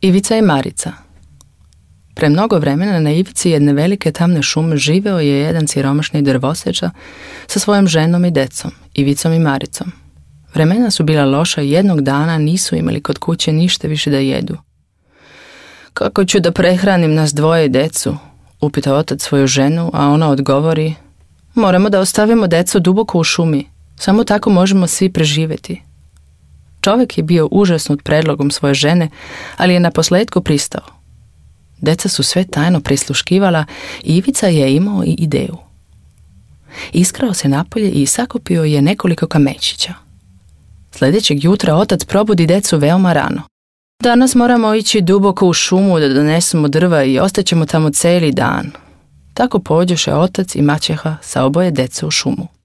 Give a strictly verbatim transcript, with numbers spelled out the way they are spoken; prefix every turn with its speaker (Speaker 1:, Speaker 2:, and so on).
Speaker 1: Ivica i Marica. Pre mnogo vremena na ivici jedne velike tamne šume živeo je jedan siromašni drvoseča sa svojom ženom i decom, Ivicom i Maricom. Vremena su bila loša i jednog dana nisu imali kod kuće ništa više da jedu. Kako ću da prehranim nas dvoje i decu? Upita otac svoju ženu, a ona odgovori: moramo da ostavimo decu duboko u šumi, samo tako možemo svi preživeti. Čovjek je bio užasnut predlogom svoje žene, ali je naposletku pristao. Deca su sve tajno prisluškivala i Ivica je imao i ideju. Iskrao se napolje i sakupio je nekoliko kamečića. Sljedećeg jutra otac probudi decu veoma rano. Danas moramo ići duboko u šumu da donesemo drva i ostaćemo tamo cijeli dan. Tako pođoše otac i maćeha sa oboje dece u šumu.